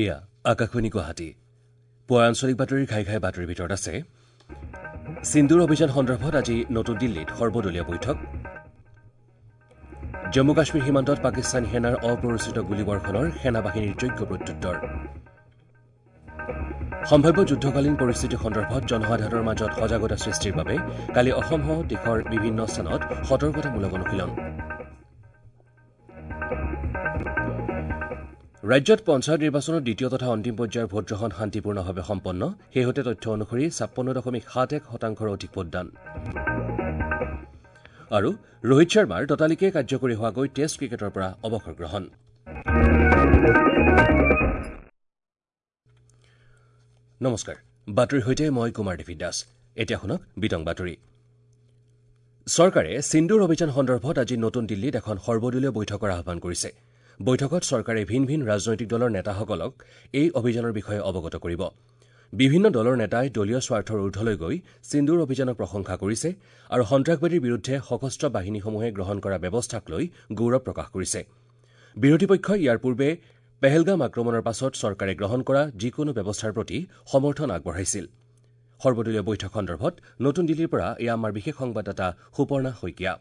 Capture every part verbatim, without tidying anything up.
এয়া আকাশবাণী গুৱাহাটী। পুৱাৰ আঞ্চলিক বাতৰিৰ ঘাই ঘাই বাতৰিৰ ভিতৰত আছে সিন্দুৰ অভিযান সন্দৰ্ভত আজি নতুন দিল্লীত সৰ্বদলীয় বৈঠক, জম্মু কাশ্মীৰ সীমান্তত পাকিস্তানী সেনাৰ অপ্ৰৰোচিত গুলীবৰ্ষণৰ সেনাবাহিনীৰ যোগ্য প্ৰত্যুত্তৰ, সম্ভাৱ্য যুদ্ধকালীন পৰিস্থিতি সন্দৰ্ভত জনসাধাৰণৰ মাজত সজাগতা সৃষ্টিৰ বাবে কালি অসমসহ দেশৰ বিভিন্ন স্থানত সতৰ্কতামূলক অনুশীলন। ৰাজ্যত পঞ্চায়ত নিৰ্বাচনৰ দ্বিতীয় তথা অন্তিম পৰ্যায়ৰ ভোটগ্ৰহণ শান্তিপূৰ্ণভাৱে সম্পন্ন। শেহতীয়া তথ্য অনুসৰি ছাপন্ন দশমিক সাত এক শতাংশৰ অধিক ভোটদান। আৰু ৰোহিত শৰ্মাৰ ততালিকে কাৰ্যকৰী হোৱাকৈ টেষ্ট ক্ৰিকেটৰ পৰা অৱসৰ গ্ৰহণ। নমস্কাৰ, বাতৰিৰ সৈতে মই কুমাৰ দেৱী দাস। এতিয়া শুনক বিতং বাতৰি। চৰকাৰে সিন্দুৰ অভিযান সন্দৰ্ভত আজি নতুন দিল্লীত এখন সৰ্বদলীয় বৈঠকৰ আহ্বান কৰিছে। বৈঠকত চৰকাৰে ভিন ভিন ৰাজনৈতিক দলৰ নেতাসকলক এই অভিযানৰ বিষয়ে অৱগত কৰিব। বিভিন্ন দলৰ নেতাই দলীয় স্বাৰ্থৰ ঊৰ্ধলৈ গৈ সিন্দুৰ অভিযানক প্ৰশংসা কৰিছে আৰু সন্ত্ৰাসবাদীৰ বিৰুদ্ধে সশস্ত্ৰ বাহিনীসমূহে গ্ৰহণ কৰা ব্যৱস্থাক লৈ গৌৰৱ প্ৰকাশ কৰিছে। বিৰোধী পক্ষই ইয়াৰ পূৰ্বে পেহেলগাম আক্ৰমণৰ পাছত চৰকাৰে গ্ৰহণ কৰা যিকোনো ব্যৱস্থাৰ প্ৰতি সমৰ্থন আগবঢ়াইছিল। সৰ্বদলীয় বৈঠক সন্দৰ্ভত নতুন দিল্লীৰ পৰা এয়া আমাৰ বিশেষ সংবাদদাতা Suparna Saikia.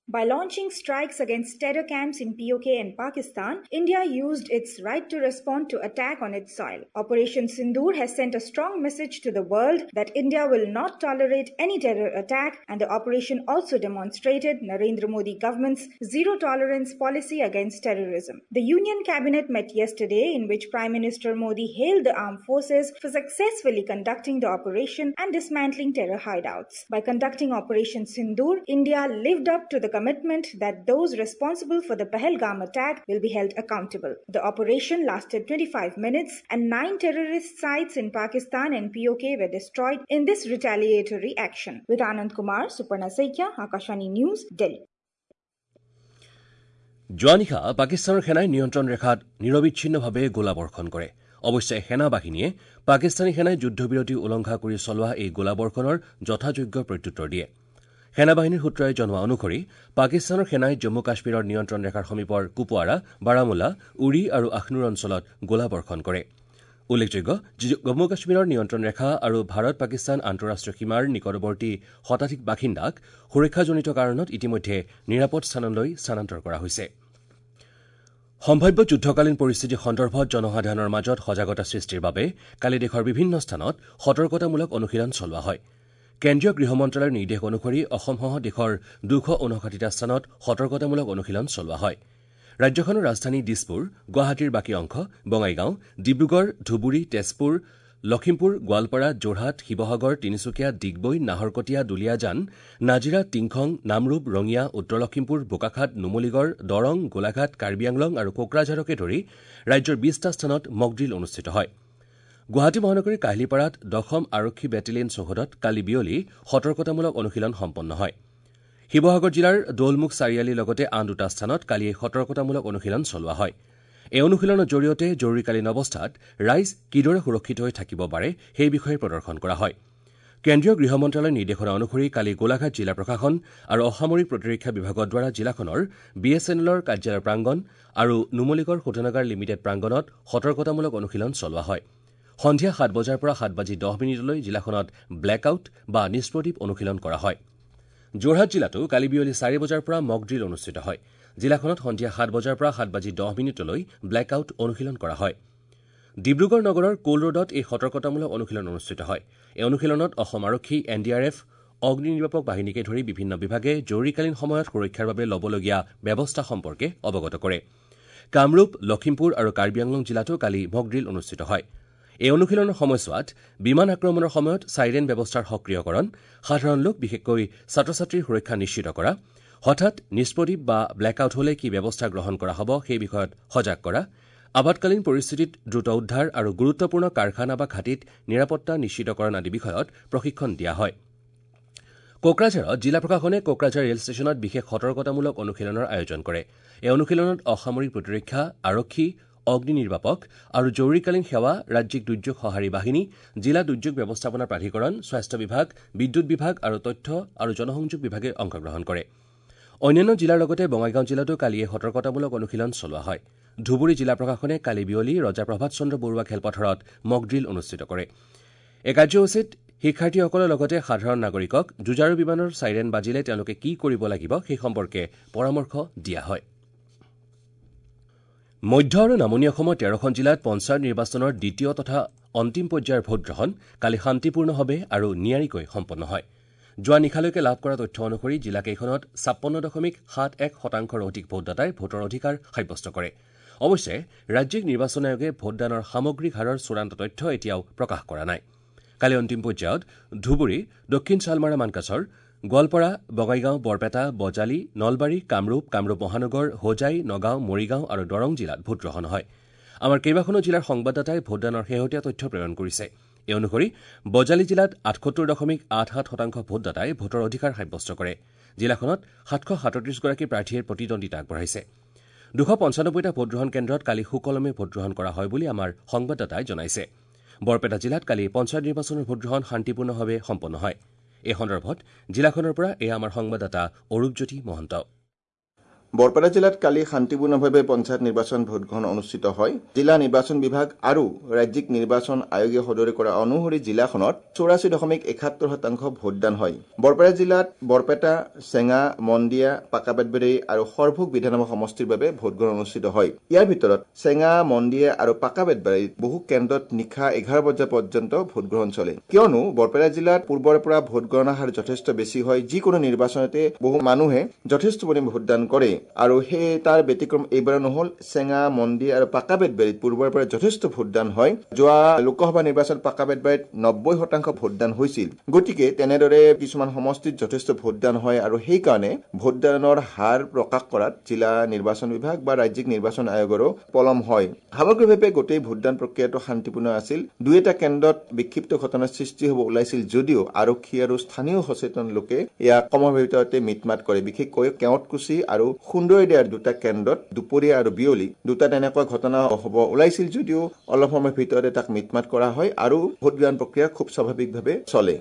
By launching strikes against terror camps in P O K and Pakistan, India used its right to respond to attack on its soil. Operation Sindoor has sent a strong message to the world that India will not tolerate any terror attack, and the operation also demonstrated Narendra Modi government's zero tolerance policy against terrorism. The Union Cabinet met yesterday, in which Prime Minister Modi hailed the armed forces for successfully conducting the operation and dismantling terror hideouts. By conducting Operation Sindoor, India lived up to the commitment that those responsible for the Pahalgam attack will be held accountable. The operation lasted twenty-five minutes and nine terrorist sites in Pakistan and P O K were destroyed in this retaliatory action. With Anand Kumar, Suparna Saikia, Akashvani News, Delhi. যোৱা নিশা পাকিস্তানৰ সেনাই নিয়ন্ত্ৰণ ৰেখাত নিৰৱিচ্ছিন্নভাৱে গোলাবৰ্ষণ কৰে। অৱশ্যে সেনাবাহিনীয়ে পাকিস্তানী সেনাই যুদ্ধবিৰতি উলংঘা কৰি চলোৱা এই গোলাবৰ্ষণৰ যথাযোগ্য প্ৰত্যুত্তৰ দিয়ে। সেনাবাহিনীৰ সূত্ৰই জনোৱা অনুসৰি পাকিস্তানৰ সেনাই জম্মু কাশ্মীৰৰ নিয়ন্ত্ৰণ ৰেখাৰ সমীপৰ কুপৱাৰা, বাৰামুলা, উৰি আৰু আখনুৰ অঞ্চলত গোলাবৰ্ষণ কৰে। উল্লেখযোগ্য যে জম্মু কাশ্মীৰৰ নিয়ন্ত্ৰণ ৰেখা আৰু ভাৰত পাকিস্তান আন্তঃৰাষ্ট্ৰীয় সীমাৰ নিকটৱৰ্তী শতাধিক বাসিন্দাক সুৰক্ষাজনিত কাৰণত ইতিমধ্যে নিৰাপদ স্থানলৈ স্থানান্তৰ কৰা হৈছে। সম্ভাৱ্য যুদ্ধকালীন পৰিস্থিতি সন্দৰ্ভত জনসাধাৰণৰ মাজত সজাগতা সৃষ্টিৰ বাবে কালি দেশৰ বিভিন্ন স্থানত সতৰ্কতামূলক অনুশীলন চলোৱা হয়। কেন্দ্ৰীয় গৃহ মন্ত্ৰালয়ৰ নিৰ্দেশ অনুসৰি অসমসহ দেশৰ দুশ ঊনষাঠিটা স্থানত সতৰ্কতামূলক অনুশীলন চলোৱা হয়। ৰাজ্যখনৰ ৰাজধানী দিছপুৰ, গুৱাহাটীৰ বাকী অংশ, বঙাইগাঁও, ডিব্ৰুগড়, ধুবুৰী, তেজপুৰ, লখিমপুৰ, গোৱালপাৰা, যোৰহাট, শিৱসাগৰ, তিনিচুকীয়া, ডিগবৈ, নাহৰকটীয়া, দুলীয়াজান, নাজিৰা, টিংখং, নামৰূপ, ৰঙিয়া, উত্তৰ লখিমপুৰ, বোকাখাত, নুমলীগড়, দৰং, গোলাঘাট, কাৰ্বি আংলং আৰু কোকৰাঝাৰকে ধৰি ৰাজ্যৰ বিশটা স্থানত মকড্ৰিল অনুষ্ঠিত হয়। গুৱাহাটী মহানগৰীৰ কাহিলীপাৰাত দশম আৰক্ষী বেটেলিয়ন চৌহদত কালি বিয়লি সতৰ্কতামূলক অনুশীলন সম্পন্ন হয়। শিৱসাগৰ জিলাৰ দৌলমুখ চাৰিআলিৰ লগতে আন দুটা স্থানত কালি এই সতৰ্কতামূলক অনুশীলন চলোৱা হয়। এই অনুশীলনৰ জৰিয়তে জৰুৰীকালীন অৱস্থাত ৰাইজ কিদৰে সুৰক্ষিত হৈ থাকিব পাৰে সেই বিষয়ে প্ৰদৰ্শন কৰা হয়। কেন্দ্ৰীয় গৃহ মন্ত্ৰালয়ৰ নিৰ্দেশনা অনুসৰি কালি গোলাঘাট জিলা প্ৰশাসন আৰু অসামৰিক প্ৰতিৰক্ষা বিভাগৰ দ্বাৰা জিলাখনৰ বি এছ এন এলৰ কাৰ্যালয়ৰ প্ৰাংগণ আৰু নুমলীগড় শোধনাগাৰ লিমিটেড প্ৰাংগণত সতৰ্কতামূলক অনুশীলন চলোৱা হয়। সন্ধিয়া সাত বজাৰ পৰা সাত বাজি দহ মিনিটলৈ জিলাখনত ব্লেকআউট বা নিষ্প্ৰদীপ অনুশীলন কৰা হয়। যোৰহাট জিলাতো কালি বিয়লি চাৰি বজাৰ পৰা মকড্ৰিল অনুষ্ঠিত হয়। জিলাখনত সন্ধিয়া সাত বজাৰ পৰা সাত বাজি দহ মিনিটলৈ ব্লেকআউট অনুশীলন কৰা হয়। ডিব্ৰুগড় নগৰৰ কোল ৰোডত এই সতৰ্কতামূলক অনুশীলন অনুষ্ঠিত হয়। এই অনুশীলনত অসম আৰক্ষী, এন ডি আৰ এফ, অগ্নি নিৰ্বাপক বাহিনীকে ধৰি বিভিন্ন বিভাগে জৰুৰীকালীন সময়ত সুৰক্ষাৰ বাবে ল'বলগীয়া ব্যৱস্থা সম্পৰ্কে অৱগত কৰে। কামৰূপ, লখিমপুৰ আৰু কাৰ্বি আংলং জিলাতো কালি মকড্ৰিল অনুষ্ঠিত হয়। এই অনুশীলনৰ সময়ছোৱাত বিমান আক্ৰমণৰ সময়ত চাইৰেন ব্যৱস্থাৰ সক্ৰিয়কৰণ, সাধাৰণ লোক বিশেষকৈ ছাত্ৰ ছাত্ৰীৰ সুৰক্ষা নিশ্চিত কৰা, হঠাৎ নিষ্প্ৰদীপ বা ব্লেকআউট হলে কি ব্যৱস্থা গ্ৰহণ কৰা হ'ব সেই বিষয়ত সজাগ কৰা, আপাতকালীন পৰিস্থিতিত দ্ৰুত উদ্ধাৰ আৰু গুৰুত্বপূৰ্ণ কাৰখানা বা ঘাটিত নিৰাপত্তা নিশ্চিতকৰণ আদি বিষয়ত প্ৰশিক্ষণ দিয়া হয়। কোকৰাঝাৰত জিলা প্ৰশাসনে কোকৰাঝাৰ ৰেল ষ্টেচনত বিশেষ সতৰ্কতামূলক অনুশীলনৰ আয়োজন কৰে। এই অনুশীলনত অসামৰিক প্ৰতিৰক্ষা, আৰক্ষী, অগ্নি নিৰ্বাপক আৰু জৰুৰীকালীন সেৱা, ৰাজ্যিক দুৰ্যোগ সঁহাৰি বাহিনী, জিলা দুৰ্যোগ ব্যৱস্থাপনা প্ৰাধিকৰণ, স্বাস্থ্য বিভাগ, বিদ্যুৎ বিভাগ আৰু তথ্য আৰু জনসংযোগ বিভাগে অংশগ্ৰহণ কৰে। অন্যান্য জিলাৰ লগতে বঙাইগাঁও জিলাতো কালি এই সতৰ্কতামূলক অনুশীলন চলোৱা হয়। ধুবুৰী জিলা প্ৰশাসনে কালি বিয়লি ৰজা প্ৰভাত চন্দ্ৰ বৰুৱা খেলপথাৰত মকড্ৰিল অনুষ্ঠিত কৰে। এই কাৰ্যসূচীত শিক্ষাৰ্থীসকলৰ লগতে সাধাৰণ নাগৰিকক যুঁজাৰু বিমানৰ চাইৰেন বাজিলে তেওঁলোকে কি কৰিব লাগিব সেই সম্পৰ্কে পৰামৰ্শ দিয়া হয়। মধ্য আৰু নামনি অসমৰ তেৰখন জিলাত পঞ্চায়ত নিৰ্বাচনৰ দ্বিতীয় তথা অন্তিম পৰ্যায়ৰ ভোটগ্ৰহণ কালি শান্তিপূৰ্ণভাৱে আৰু নিয়াৰিকৈ সম্পন্ন হয়। যোৱা নিশালৈকে লাভ কৰা তথ্য অনুসৰি জিলাকেইখনত ছাপন্ন দশমিক সাত এক শতাংশৰ অধিক ভোটদাতাই ভোটৰ অধিকাৰ সাব্যস্ত কৰে। অৱশ্যে ৰাজ্যিক নিৰ্বাচন আয়োগে ভোটদানৰ সামগ্ৰিক হাৰৰ চূড়ান্ত তথ্য এতিয়াও প্ৰকাশ কৰা নাই। কালি অন্তিম পৰ্যায়ত ধুবুৰী, দক্ষিণ শালমাৰা মানকাচৰ, গোৱালপাৰা, বঙাইগাঁও, বৰপেটা, বজালী, নলবাৰী, কামৰূপ, কামৰূপ মহানগৰ, হোজাই, নগাঁও, মৰিগাঁও আৰু দৰং জিলাত ভোটগ্ৰহণ হয়। আমাৰ কেইবাখনো জিলাৰ সংবাদদাতাই ভোটদানৰ শেহতীয়া তথ্য প্ৰেৰণ কৰিছে। এই অনুসৰি বজালী জিলাত আঠসত্তৰ দশমিক আঠ সাত শতাংশ ভোটদাতাই ভোটৰ অধিকাৰ সাব্যস্ত কৰে। জিলাখনত সাতশ সাতত্ৰিশগৰাকী প্ৰাৰ্থীয়ে প্ৰতিদ্বন্দ্বিতা আগবঢ়াইছে। দুশ পঞ্চানব্বৈটা ভোটগ্ৰহণ কেন্দ্ৰত কালি সুকলমে ভোটগ্ৰহণ কৰা হয় বুলি আমাৰ সংবাদদাতাই জনাইছে। বৰপেটা জিলাত কালি পঞ্চায়ত নিৰ্বাচনৰ ভোটগ্ৰহণ শান্তিপূৰ্ণভাৱে সম্পন্ন হয়। এই সন্দৰ্ভত জিলাখনৰ পৰা এয়া আমাৰ সংবাদদাতা অৰূপজ্যোতি মহন্ত। বৰপেটা জিলাত কালি শান্তিপূৰ্ণভাৱে পঞ্চায়ত নিৰ্বাচন ভোটগ্ৰহণ অনুষ্ঠিত হয়। জিলা নিৰ্বাচন বিভাগ আৰু ৰাজ্যিক নিৰ্বাচন আয়োগে সদৰি কৰা অনুসৰি জিলাখনত চৌৰাশী দশমিক একাত্তৰ শতাংশ ভোটদান হয়। বৰপেটা জিলাত বৰপেটা, চেঙা, মন্দিয়া, পাকাবেতবাৰী আৰু সৰভোগ বিধানসভা সমষ্টিৰ বাবে ভোটগ্ৰহণ অনুষ্ঠিত হয়। ইয়াৰ ভিতৰত চেঙা, মন্দিয়া আৰু পাকাবেতবাৰীত বহু কেন্দ্ৰত নিশা এঘাৰ বজা পৰ্যন্ত ভোটগ্ৰহণ চলে। কিয়নো বৰপেটা জিলাত পূৰ্বৰ পৰা ভোটগণনাৰ হাৰ যথেষ্ট বেছি হয়। যিকোনো নিৰ্বাচনতে বহু মানুহে যথেষ্ট পৰিমাণে ভোটদান কৰে আৰু সেই তাৰ ব্যতিক্ৰম এইবাৰ নহল। চেঙা, মন্দিয়া আৰু পাকাবেতবাৰীত পূৰ্বৰ পৰা যথেষ্ট ভোটদান হয়। যোৱা লোকসভা নিৰ্বাচন পাকাবেতবাৰীত নব্বৈ শতাংশ ভোটদান হৈছিল। গতিকে তেনেদৰে কিছুমান সমষ্টিত যথেষ্ট ভোটদান হয় আৰু সেইকাৰণে ভোটদানৰ হাৰ প্ৰকাশ কৰাত জিলা নিৰ্বাচন বিভাগ বা ৰাজ্যিক নিৰ্বাচন আয়োগৰো পলম হয়। সামগ্ৰিকভাৱে গোটেই ভোটদান প্ৰক্ৰিয়াটো শান্তিপূৰ্ণ আছিল। দুই এটা কেন্দ্ৰত বিক্ষিপ্ত ঘটনাৰ সৃষ্টি হ'ব ওলাইছিল যদিও আৰক্ষী আৰু স্থানীয় সচেতন লোকে ইয়াক কমৰ ভিতৰতে মিটমাট কৰে। বিশেষকৈ কেওটকুচি আৰু সুন্দৰীদিয়াৰ দুটা কেন্দ্ৰত দুপৰীয়া আৰু বিয়লি দুটা তেনেকুৱা ঘটনা হ'ব ওলাইছিল যদিও অলপ সময়ৰ ভিতৰতে তাক মিটমাট কৰা হয় আৰু ভোটগ্ৰহণ প্ৰক্ৰিয়া খুব স্বাভাৱিকভাৱে চলে।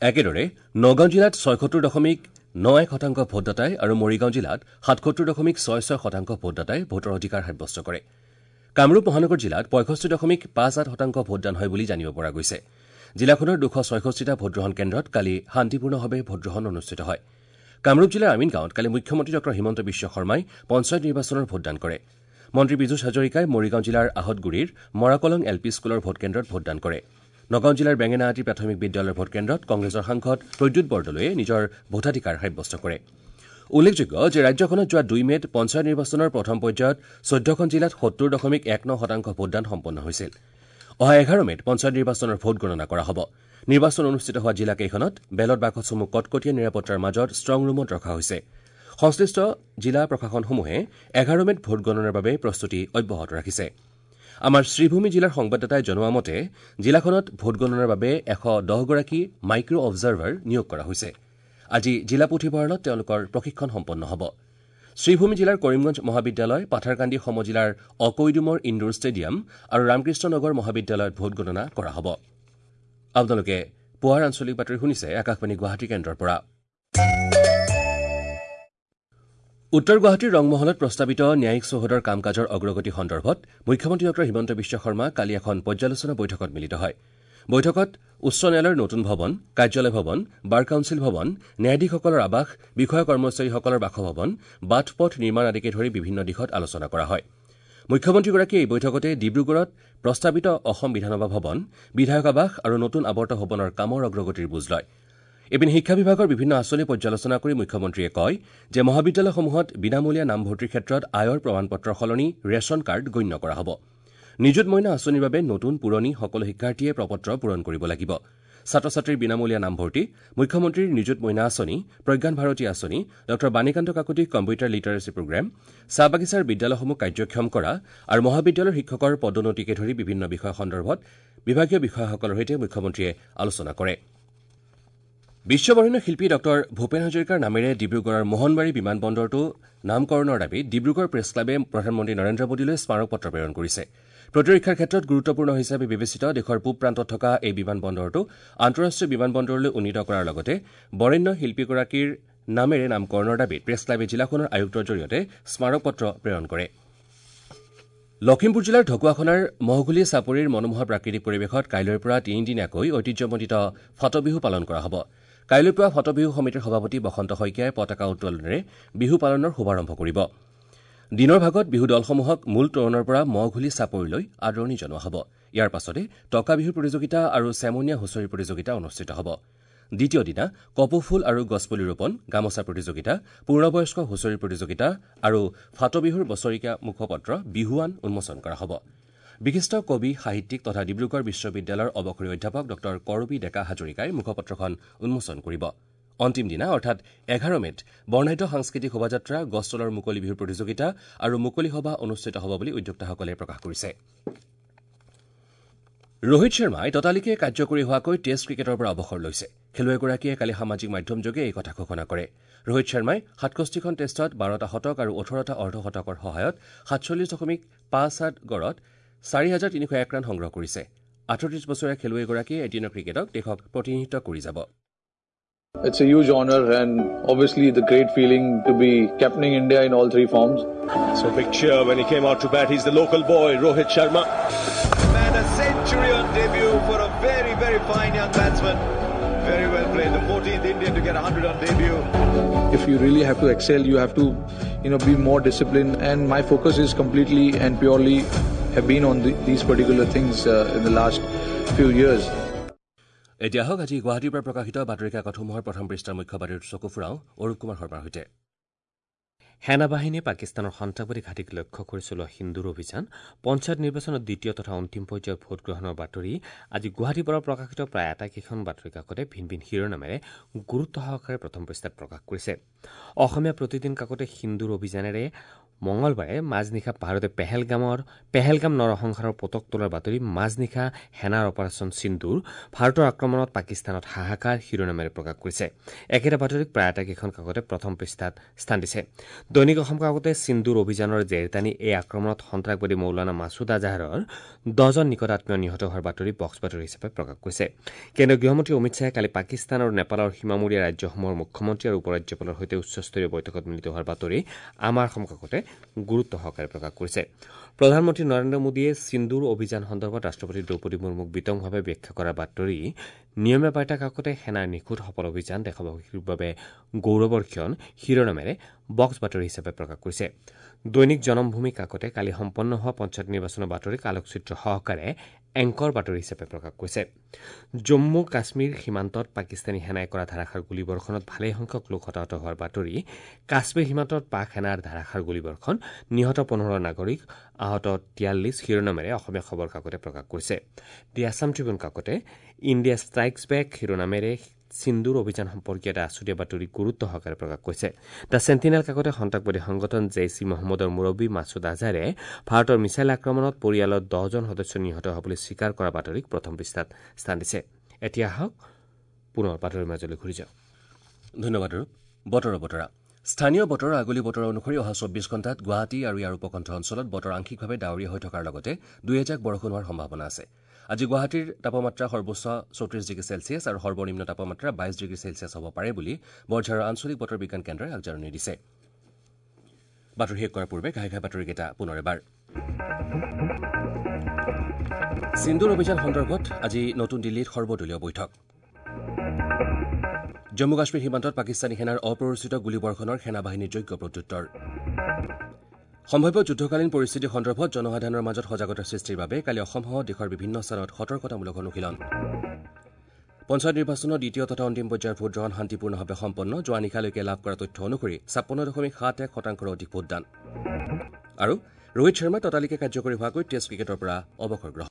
একেদৰে নগাঁও জিলাত ছয়সত্তৰ দশমিক ন এক শতাংশ ভোটদাতাই আৰু মৰিগাঁও জিলাত সাতসত্তৰ দশমিক ছয় ছয় শতাংশ ভোটদাতাই ভোটৰ অধিকাৰ সাব্যস্ত কৰে। কামৰূপ মহানগৰ জিলাত পঁয়ষষ্ঠি দশমিক পাঁচ আঠ শতাংশ ভোটদান হয় বুলি জানিব পৰা গৈছে। জিলাখনৰ দুশ ছয়ষষ্ঠিটা ভোটগ্ৰহণ কেন্দ্ৰত কালি শান্তিপূৰ্ণভাৱে ভোটগ্ৰহণ অনুষ্ঠিত হয়। কামৰূপ জিলাৰ আমিনগাঁৱত কালি মুখ্যমন্ত্ৰী ডঃ হিমন্ত বিশ্ব শৰ্মাই পঞ্চায়ত নিৰ্বাচনৰ ভোটদান কৰে। মন্ত্ৰী পীযুষ হাজৰিকাই মৰিগাঁও জিলাৰ আহতগুৰিৰ মৰাকলং এল পি স্কুলৰ ভোটকেন্দ্ৰত ভোটদান কৰে। নগাঁও জিলাৰ বেঙেনাআটি প্ৰাথমিক বিদ্যালয়ৰ ভোটকেন্দ্ৰত কংগ্ৰেছৰ সাংসদ প্ৰদ্যুৎ বৰদলৈয়ে নিজৰ ভোটাধিকাৰ সাব্যস্ত কৰে। উল্লেখযোগ্য যে ৰাজ্যখনত যোৱা দুই মে'ত পঞ্চায়ত নিৰ্বাচনৰ প্ৰথম পৰ্যায়ত চৈধ্যখন জিলাত সত্তৰ দশমিক এক ন শতাংশ ভোটদান সম্পন্ন হৈছিল। অহা এঘাৰ মে'ত পঞ্চায়ত নিৰ্বাচনৰ ভোট গণনা কৰা হ'ব। নিৰ্বাচন অনুষ্ঠিত হোৱা জিলাকেইখনত বেলট বাকচসমূহ কটকটীয়া নিৰাপত্তাৰ মাজত ষ্ট্ৰং ৰুমত ৰখা হৈছে। সংশ্লিষ্ট জিলা প্ৰশাসনসমূহে এঘাৰ মে'ত ভোট গণনাৰ বাবে প্ৰস্তুতি অব্যাহত ৰাখিছে। আমাৰ শ্ৰীভূমি জিলাৰ সংবাদদাতাই জনোৱা মতে জিলাখনত ভোটগণনাৰ বাবে এশ দহগৰাকী মাইক্ৰ অবজাৰ্ভাৰ নিয়োগ কৰা হৈছে। আজি জিলা পুথিভঁৰালত তেওঁলোকৰ প্ৰশিক্ষণ সম্পন্ন হ'ব। শ্ৰীভূমি জিলাৰ কৰিমগঞ্জ মহাবিদ্যালয়, পাথাৰকান্দি সমজিলাৰ অকৈডুমৰ ইণ্ডোৰ ষ্টেডিয়াম আৰু ৰামকৃষ্ণ নগৰ মহাবিদ্যালয়ত ভোটগণনা কৰা হ'ব। আপোনালোকে পুৱাৰ আঞ্চলিক বাতৰি শুনিছে আকাশবাণী গুৱাহাটী কেন্দ্ৰৰ পৰা। উত্তৰ গুৱাহাটীৰ ৰংমহলত প্ৰস্তাৱিত ন্যায়িক চৌহদৰ কাম কাজৰ অগ্ৰগতি সন্দৰ্ভত মুখ্যমন্ত্ৰী ডঃ হিমন্ত বিশ্ব শৰ্মা কালি এখন পৰ্যালোচনা বৈঠকত মিলিত হয়। বৈঠকত উচ্চ ন্যায়ালয়ৰ নতুন ভৱন, কাৰ্যালয় ভৱন, বাৰ কাউন্সিল ভৱন, ন্যায়াধীশসকলৰ আৱাস, বিষয়া কৰ্মচাৰীসকলৰ বাসভৱন, বাট পথ নিৰ্মাণ আদিকে ধৰি বিভিন্ন দিশত আলোচনা কৰা হয়। মুখ্যমন্ত্ৰীগৰাকীয়ে এই বৈঠকতে ডিব্ৰুগড়ত প্ৰস্তাৱিত অসম বিধানসভা ভৱন, বিধায়ক আৱাস আৰু নতুন আৱৰ্ত ভৱনৰ কামৰ অগ্ৰগতিৰ বুজ লয়। ইপিনে শিক্ষা বিভাগৰ বিভিন্ন আঁচনি পৰ্যালোচনা কৰি মুখ্যমন্ত্ৰীয়ে কয় যে মহাবিদ্যালয়সমূহত বিনামূলীয়া নামভৰ্তিৰ ক্ষেত্ৰত আয়ৰ প্ৰমাণপত্ৰৰ সলনি ৰেচন কাৰ্ড গণ্য কৰা হ'ব। নিযুত মইনা আঁচনিৰ বাবে নতুন পুৰণি সকলো শিক্ষাৰ্থীয়ে প্ৰপত্ৰ পূৰণ কৰিব লাগিব। ছাত্ৰ ছাত্ৰীৰ বিনামূলীয়া নামভৰ্তি, মুখ্যমন্ত্ৰীৰ নিযুত মইনা আঁচনি, প্ৰজ্ঞান ভাৰতী আঁচনি, ডঃ Banikanta Kakati computer literacy programme, চাহ বাগিচাৰ বিদ্যালয়সমূহ কাৰ্যক্ষম কৰা আৰু মহাবিদ্যালয়ৰ শিক্ষকৰ পদোন্নতিকে ধৰি বিভিন্ন বিষয় সন্দৰ্ভত বিভাগীয় বিষয়াসকলৰ সৈতে মুখ্যমন্ত্ৰীয়ে আলোচনা কৰে। বিশ্ববৰেণ্য শিল্পী ডঃ ভূপেন হাজৰিকাৰ নামেৰে ডিব্ৰুগড়ৰ মোহনবাৰী বিমানবন্দৰটো নামকৰণৰ দাবীত ডিব্ৰুগড় প্ৰেছ ক্লাবে প্ৰধানমন্ত্ৰী নৰেন্দ্ৰ মোদীলৈ স্মাৰকপত্ৰ প্ৰেৰণ কৰিছে। প্ৰতিৰক্ষাৰ ক্ষেত্ৰত গুৰুত্বপূৰ্ণ হিচাপে বিবেচিত দেশৰ পূব প্ৰান্তত থকা এই বিমানবন্দৰটো আন্তঃৰাষ্ট্ৰীয় বিমানবন্দৰলৈ উন্নীত কৰাৰ লগতে বৰেণ্য শিল্পীগৰাকীৰ নামেৰে নামকৰণৰ দাবীত প্ৰেছ ক্লাবে জিলাখনৰ আয়ুক্তৰ জৰিয়তে স্মাৰকপত্ৰ প্ৰেৰণ কৰে। লখিমপুৰ জিলাৰ ঢকুৱাখনাৰ মহঘুলি চাপৰিৰ মনোমোহা প্ৰাকৃতিক পৰিৱেশত কাইলৈৰ পৰা তিনিদিনীয়াকৈ ঐতিহ্যমণ্ডিত ফাটবিহু পালন কৰা হ'ব। কাইলৈ পুৱা ফাটবিহু সমিতিৰ সভাপতি বসন্ত শইকীয়াই পতাকা উত্তোলনেৰে বিহু পালনৰ শুভাৰম্ভ কৰিব। দিনৰ ভাগত বিহু দলসমূহক মূল তোৰণৰ পৰা মহঘুলি চাপৰিলৈ আদৰণি জনোৱা হ'ব। ইয়াৰ পাছতে টকা বিহুৰ প্ৰতিযোগিতা আৰু চেমনীয়া হুঁচৰি প্ৰতিযোগিতা অনুষ্ঠিত হ'ব। দ্বিতীয় দিনা কপৌফুল আৰু গছপুলি ৰোপণ, গামোচা প্ৰতিযোগিতা, পূৰ্ণবয়স্ক হুঁচৰি প্ৰতিযোগিতা আৰু ফাটবিহুৰ বছৰেকীয়া মুখপত্ৰ বিহুৱান উন্মোচন কৰা হ'ব। বিশিষ্ট কবি, সাহিত্যিক তথা ডিব্ৰুগড় বিশ্ববিদ্যালয়ৰ অৱসৰী অধ্যাপক ডঃ কৰবী ডেকা হাজৰিকাই মুখপত্ৰখন উন্মোচন কৰিব। অন্তিম দিনা অৰ্থাৎ এঘাৰ মে'ত বৰ্ণাঢ্য সাংস্কৃতিক শোভাযাত্ৰা, গছতলৰ মুকলি বিহুৰ প্ৰতিযোগিতা আৰু মুকলি সভা অনুষ্ঠিত হ'ব বুলি উদ্যোক্তাসকলে প্ৰকাশ কৰিছে। ৰোহিত শৰ্মাই ততালিকে কাৰ্যকৰী হোৱাকৈ টেষ্ট ক্ৰিকেটৰ পৰা অৱসৰ লৈছে। খেলুৱৈগৰাকীয়ে কালি সামাজিক মাধ্যমযোগে এই কথা ঘোষণা কৰে। ৰোহিত শৰ্মাই সাতষষ্ঠিখন টেষ্টত বাৰটা শতক আৰু ওঠৰটা অৰ্ধশতকৰ সহায়ত সাতচল্লিছ দশমিক পাঁচ আঠ গড়ত চাৰি হাজাৰ তিনিশ এক ৰান সংগ্ৰহ কৰিছে। আঠত্ৰিছ বছৰীয়া খেলুৱৈগৰাকীয়ে এদিনৰ ক্ৰিকেটক দেশক প্ৰতিনিধিত্ব কৰি যাব। It's a huge honor and obviously the great feeling to be captaining India in all three forms. So big cheer when he came out to bat. He's the local boy, Rohit Sharma. Man, a century on debut for a very, very fine young batsman. Very well played. The fourteenth Indian to get a hundred on debut. If you really have to excel, you have to, you know, be more disciplined. And my focus is completely and purely have been on the, these particular things uh, in the last few years. এতিয়া হওক আজি গুৱাহাটীৰ পৰা প্ৰকাশিত বাতৰি কাকতসমূহৰ প্ৰথম পৃষ্ঠাৰ মুখ্য বাতৰিত চকু ফুৰাওঁ অৰূপ কুমাৰ শৰ্মাৰ সৈতে। সেনাবাহিনীয়ে পাকিস্তানৰ সন্ত্ৰাসবাদী ঘাটিক লক্ষ্য কৰি চলোৱা সিন্দুৰ অভিযান, পঞ্চায়ত নিৰ্বাচনৰ দ্বিতীয় তথা অন্তিম পৰ্যায়ৰ ভোটগ্ৰহণৰ বাতৰি আজি গুৱাহাটীৰ পৰা প্ৰকাশিত প্ৰায় আটাইকেইখন বাতৰি কাকতে ভিন ভিন শিৰোনামেৰে গুৰুত্ব সহকাৰে প্ৰথম পৃষ্ঠাত প্ৰকাশ কৰিছে। অসমীয়া প্ৰতিদিন কাকতে সিন্দুৰ অভিযানেৰে মঙলবাৰে মাজনিশা ভাৰতে পেহেলগামৰ পেহেলগাম নৰসংহাৰৰ পতক তোলাৰ বাতৰি, মাজনিশা সেনাৰ অপাৰেচন সিন্দুৰ, ভাৰতৰ আক্ৰমণত পাকিস্তানত হাহাকাৰ শিৰোনামেৰে প্ৰকাশ কৰিছে। একেটা বাতৰিক প্ৰায় আটাইকেইখন কাকতে প্ৰথম পৃষ্ঠাত স্থান দিছে। দৈনিক অসম কাকতে সিন্দুৰ অভিযানৰ জেৰ টানি এই আক্ৰমণত সন্ত্ৰাসবাদী মৌলানা মাছুদ আজহাৰৰ দহজন নিকট আত্মীয় নিহত হোৱাৰ বাতৰি বক্স বাতৰি হিচাপে প্ৰকাশ কৰিছে। কেন্দ্ৰীয় গৃহমন্ত্ৰী অমিত শ্বাহে কালি পাকিস্তান আৰু নেপালৰ সীমামূৰীয়া ৰাজ্যসমূহৰ মুখ্যমন্ত্ৰী আৰু উপ-ৰাজ্যপালৰ সৈতে উচ্চস্তৰীয় বৈঠকত মিলিত হোৱাৰ বাতৰি আমাৰ অসম কাকতে গুৰুত্ব সহকাৰে প্ৰকাশ কৰিছে। প্ৰধানমন্ত্ৰী নৰেন্দ্ৰ মোদীয়ে সিন্দুৰ অভিযান সন্দৰ্ভত ৰাষ্ট্ৰপতি দ্ৰৌপদী মুৰ্মুক বিতংভাৱে ব্যাখ্যা কৰাৰ বাতৰি নিয়মীয়া বাৰ্তা কাকতে সেনাৰ নিখুঁত সফল অভিযান দেশবাসীৰ বাবে গৌৰৱৰ ক্ষণ শিৰোনামেৰে বক্স বাতৰি হিচাপে প্ৰকাশ কৰিছে। দৈনিক জনমভূমি কাকতে কালি সম্পন্ন হোৱা পঞ্চায়ত নিৰ্বাচনৰ বাতৰিক আলোকচিত্ৰ সহকাৰে এংকৰ বাতৰি হিচাপে প্ৰকাশ কৰিছে। জম্মু কাশ্মীৰ সীমান্তত পাকিস্তানী সেনাই কৰা ধাৰাসাৰ গুলীবৰ্ষণত ভালেসংখ্যক লোক হতাহত হোৱাৰ বাতৰি, কাশ্মীৰ সীমান্তত পাক সেনাৰ ধাৰাসাৰ গুলীবৰ্ষণ, নিহত পোন্ধৰ নাগৰিক, আহত তিয়াল্লিছ শিৰোনামেৰে অসমীয়া খবৰ কাকতে প্ৰকাশ কৰিছে। দি আছাম ট্ৰিবিউন কাকতে ইণ্ডিয়া ষ্ট্ৰাইকছ বেক শিৰোনামেৰে সিন্দুৰ অভিযান সম্পৰ্কীয় এটা আছুতীয়া বাতৰি গুৰুত্ব সহকাৰে প্ৰকাশ কৰিছে। The sentinel কাকতে সন্ত্ৰাসবাদী সংগঠন জেইছ ই মহম্মদৰ মুৰব্বী মাছুদ আজহাৰে ভাৰতৰ মিছাইল আক্ৰমণত পৰিয়ালৰ দহজন সদস্য নিহত হোৱা বুলি স্বীকাৰ কৰা বাতৰিক প্ৰথম পৃষ্ঠাত স্থান দিছে। এতিয়া আহক পুনৰ বাতৰিৰ মাজলৈ ঘূৰি যাওঁ। ধন্যবাদ ৰূপ। বতৰৰ বতৰা। স্থানীয় বতৰৰ আগলি বতৰ অনুসৰি অহা চৌব্বিছ ঘণ্টাত গুৱাহাটী আৰু ইয়াৰ উপকণ্ঠ অঞ্চলত বতৰ আংশিকভাৱে ডাৱৰীয়া হৈ থকাৰ লগতে দুই এজাক বৰষুণ হোৱাৰ সম্ভাৱনা আছে। আজি গুৱাহাটীৰ তাপমাত্ৰা সৰ্বোচ্চ চৌত্ৰিছ ডিগ্ৰী চেলছিয়াছ আৰু সৰ্বনিম্ন তাপমাত্ৰা বাইছ ডিগ্ৰী চেলছিয়াছ হ'ব পাৰে বুলি বৰঝাৰৰ আঞ্চলিক বতৰ বিজ্ঞান কেন্দ্ৰই আগজাননী দিছে। বাতৰি শেষ কৰাৰ পূৰ্বে ঘাই ঘাই বাতৰিকেইটা পুনৰ এবাৰ। সিন্দুৰ অভিযান সন্দৰ্ভত আজি নতুন দিল্লীত সৰ্বদলীয় বৈঠক। জম্মু কাশ্মীৰ সীমান্তত পাকিস্তানী সেনাৰ অপ্ৰৰোচিত গুলীবৰ্ষণৰ সেনাবাহিনীৰ যোগ্য প্ৰত্যুত্তৰ। সম্ভাৱ্য যুদ্ধকালীন পৰিস্থিতি সন্দৰ্ভত জনসাধাৰণৰ মাজত সজাগতা সৃষ্টিৰ বাবে কালি অসমসহ দেশৰ বিভিন্ন স্থানত সতৰ্কতামূলক অনুশীলন। পঞ্চায়ত নিৰ্বাচনৰ দ্বিতীয় তথা অন্তিম পৰ্যায়ৰ ভোটগ্ৰহণ শান্তিপূৰ্ণভাৱে সম্পন্ন। যোৱা নিশালৈকে লাভ কৰা তথ্য অনুসৰি ছাপন্ন দশমিক সাত এক শতাংশৰ অধিক ভোটদান। আৰু ৰোহিত শৰ্মাই ততালিকে কাৰ্যকৰী হোৱাকৈ টেষ্ট ক্ৰিকেটৰ পৰা অৱসৰ গ্ৰহণ।